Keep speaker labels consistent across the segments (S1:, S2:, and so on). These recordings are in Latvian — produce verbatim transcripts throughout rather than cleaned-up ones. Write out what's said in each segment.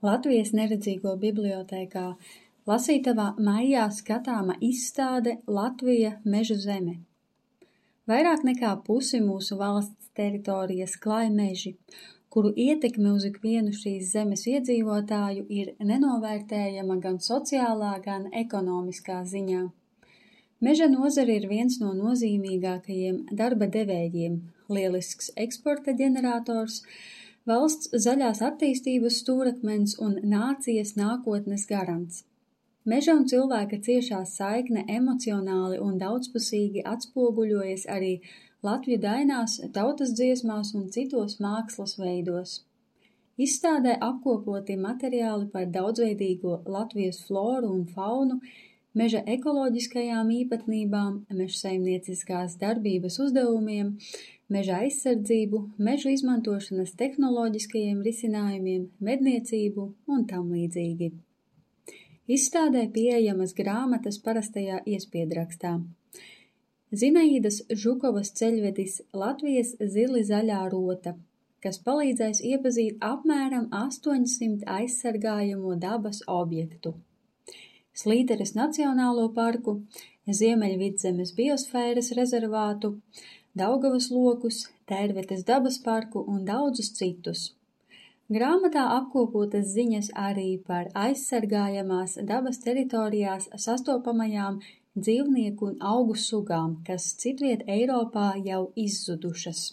S1: Latvijas neredzīgo bibliotēkā lasītavā maijā skatāma izstāde Latvija mežu zeme. Vairāk nekā pusi mūsu valsts teritorijas klāj meži, kuru ietekme uz ikvienu šīs zemes iedzīvotāju ir nenovērtējama gan sociālā, gan ekonomiskā ziņā. Meža nozare ir viens no nozīmīgākajiem darba devējiem, lielisks eksporta ģenerators, valsts zaļās attīstības stūrakmens un nācijas nākotnes garants. Meža un cilvēka ciešā saikne emocionāli un daudzpusīgi atspoguļojas arī latvju dainās, tautas dziesmās un citos mākslas veidos. Izstādē apkopoti materiāli par daudzveidīgo Latvijas floru un faunu, meža ekoloģiskajām īpatnībām, mežsaimnieciskās darbības uzdevumiem, meža aizsardzību, mežu izmantošanas tehnoloģiskajiem risinājumiem, medniecību un tam līdzīgi. Izstādē pieejamas grāmatas parastajā iespiedrakstā. Zinaīdas Žukovas ceļvedis Latvijas zili zaļā rota, kas palīdzēs iepazīt apmēram astoņsimt aizsargājamo dabas objektu. Slīteres Nacionālo parku, Ziemeļvidzemes biosfēras rezervātu, Daugavas lokus, Tērvetes dabas parku un daudzus citus. Grāmatā apkopotas ziņas arī par aizsargājamās dabas teritorijās sastopamajām dzīvnieku un augu sugām, kas citviet Eiropā jau izzudušas.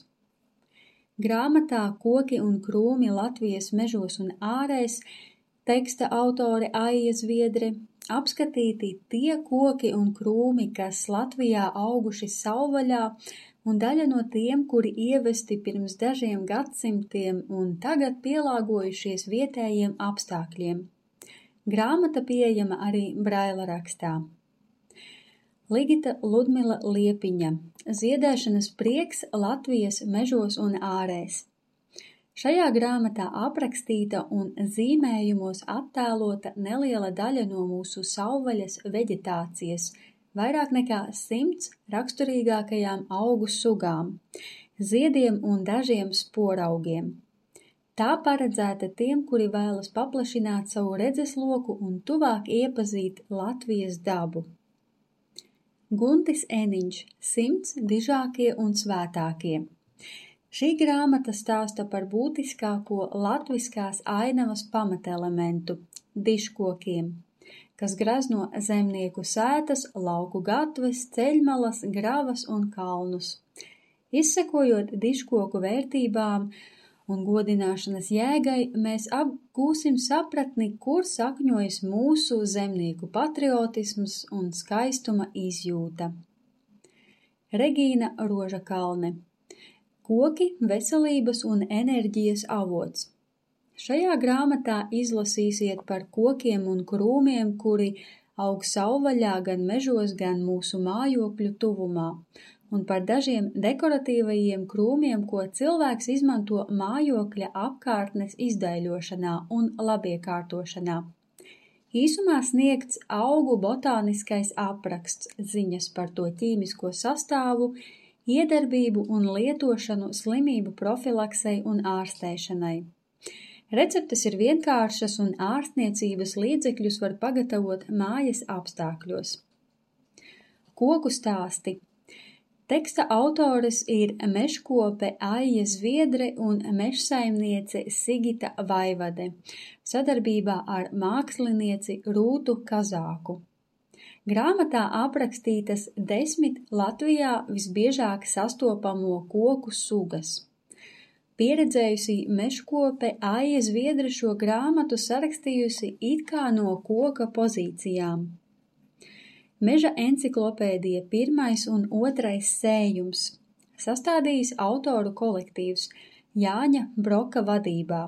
S1: Grāmatā Koki un krūmi Latvijas mežos un ārēs teksta autore Aija Zviedre apskatīti tie koki un krūmi, kas Latvijā auguši savvaļā, un daļa no tiem, kuri ievesti pirms dažiem gadsimtiem un tagad pielāgojušies vietējiem apstākļiem. Grāmata pieejama arī braila rakstā. Ligita Ludmila Liepiņa, Ziedēšanas prieks Latvijas mežos un ārēs. Šajā grāmatā aprakstīta un zīmējumos attēlota neliela daļa no mūsu savvaļas veģetācijas, vairāk nekā simts raksturīgākajām augu sugām, ziediem un dažiem sporaugiem. Tā paredzēta tiem, kuri vēlas paplašināt savu redzesloku un tuvāk iepazīt Latvijas dabu. Guntis Eniņš, Simts dižākie un svētākie. Šī grāmata stāsta par būtiskāko latviskās ainavas pamatelementu – dižkokiem, kas grazno zemnieku sētas, lauku gatves, ceļmalas, gravas un kalnus. Izsekojot dižkoku vērtībām un godināšanas jēgai, mēs apgūsim sapratni, kur sakņojas mūsu zemnieku patriotisms un skaistuma izjūta. Regīna Rožakalne. Koki, veselības un enerģijas avots. Šajā grāmatā izlasīsiet par kokiem un krūmiem, kuri aug savvaļā gan mežos, gan mūsu mājokļu tuvumā, un par dažiem dekoratīvajiem krūmiem, ko cilvēks izmanto mājokļa apkārtnes izdaiļošanā un labiekārtošanā. Īsumā sniegts augu botāniskais apraksts, ziņas par to ķīmisko sastāvu, iedarbību un lietošanu slimību profilaksei un ārstēšanai. Receptes ir vienkāršas un ārstniecības līdzekļus var pagatavot mājas apstākļos. Koku stāsti. Teksta autores ir mežkope Aija Zviedre un mežsaimniece Sigita Vaivade, sadarbībā ar mākslinieci Rūtu Kazāku. Grāmatā aprakstītas desmit Latvijā visbiežāk sastopamo koku sugas. Pieredzējusī mežkope Aija Zviedre šo grāmatu sarakstījusi it kā no koka pozīcijām. Meža enciklopēdija pirmais un otrais sējums, sastādījis autoru kolektīvs Jāņa Broka vadībā.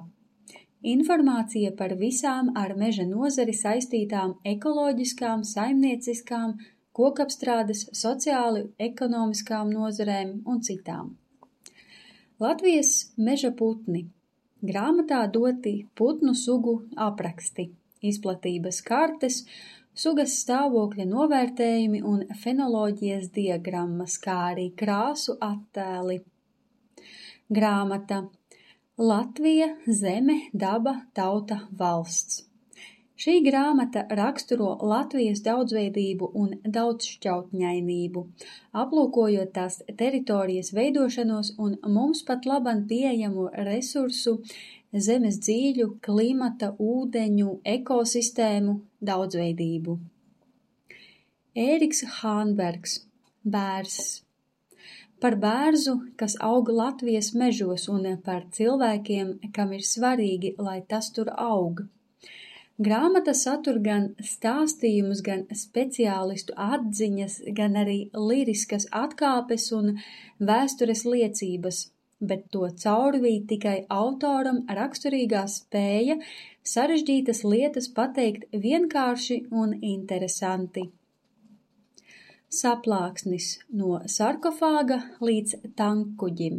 S1: Informācija par visām ar meža nozari saistītām ekoloģiskām, saimnieciskām, kokapstrādes, sociāli, ekonomiskām nozarēm un citām. Latvijas meža putni. Grāmatā doti putnu sugu apraksti, izplatības kartes, sugas stāvokļa novērtējumi un fenoloģijas diagrammas, kā arī krāsu attēli. Grāmata Latvija, zeme, daba, tauta, valsts. Šī grāmata raksturo Latvijas daudzveidību un daudzšķautņainību, aplūkojot tās teritorijas veidošanos un mums pat laban pieejamo resursu, zemes dzīļu, klimata, ūdeņu, ekosistēmu daudzveidību. Ēriks Hānbergs, bērzs. Par bērzu, kas aug Latvijas mežos, un par cilvēkiem, kam ir svarīgi, lai tas tur aug. Grāmata satur gan stāstījumus, gan speciālistu atziņas, gan arī liriskas atkāpes un vēstures liecības, bet to caurvīd tikai autoram raksturīgā spēja sarežģītas lietas pateikt vienkārši un interesanti. Saplāksnis no sarkofāga līdz tankkuģim.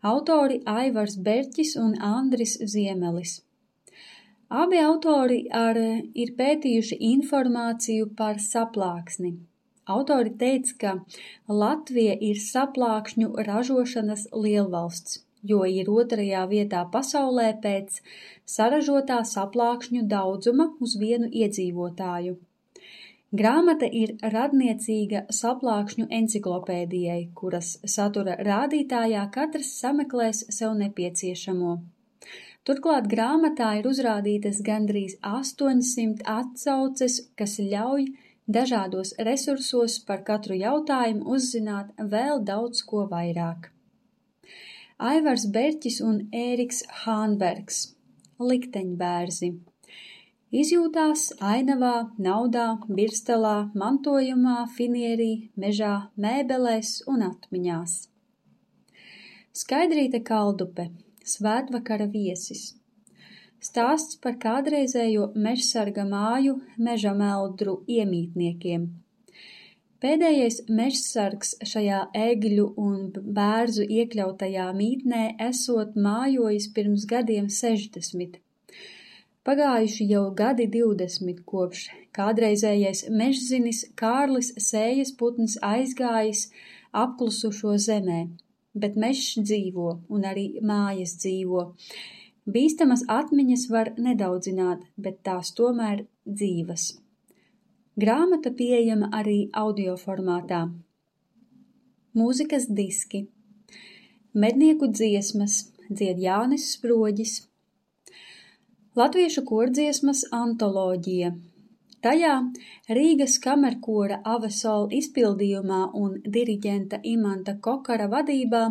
S1: Autori Aivars Berķis un Andris Ziemelis. Abi autori ar, ir pētījuši informāciju par saplāksni. Autori teica, ka Latvija ir saplākšņu ražošanas lielvalsts, jo ir otrajā vietā pasaulē pēc saražotā saplākšņu daudzuma uz vienu iedzīvotāju. Grāmata ir radniecīga saplākšņu enciklopēdijai, kuras satura rādītājā katrs sameklēs sev nepieciešamo. Turklāt grāmatā ir uzrādītas gandrīz astoņsimt atsauces, kas ļauj dažādos resursos par katru jautājumu uzzināt vēl daudz ko vairāk. Aivars Berķis un Ēriks Hānbergs. Likteņbērzi. Izjūtās ainavā, naudā, birstalā, mantojumā, finierī, mežā, mēbelēs un atmiņās. Skaidrīte Kaldupe. Svētvakara viesis. Stāsts par kādreizējo mežsarga māju meža meldru iemītniekiem. Pēdējais mežsargs šajā egļu un bērzu iekļautajā mītnē esot mājojis pirms gadiem sešdesmit. Pagājuši jau gadi divdesmit, kopš kādreizējais mežzinis Kārlis Sējas putns aizgājis apklusušo zemē. Bet mežs dzīvo un arī mājas dzīvo. Bīstamas atmiņas var nedaudzināt, bet tās tomēr dzīvas. Grāmata pieejama arī audio formātā. Mūzikas diski. Mednieku dziesmas, dzied Jānis Sproģis. Latviešu kordziesmas antoloģija. Tajā Rīgas kamerkora Avesol izpildījumā un diriģenta Imanta Kokara vadībā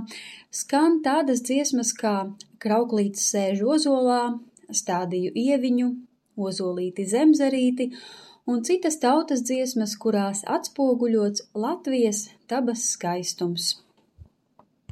S1: skan tādas dziesmas kā Krauklītis sēž ozolā, Stādīju ieviņu, Ozolīti zemzarīti un citas tautas dziesmas, kurās atspoguļots Latvijas dabas skaistums.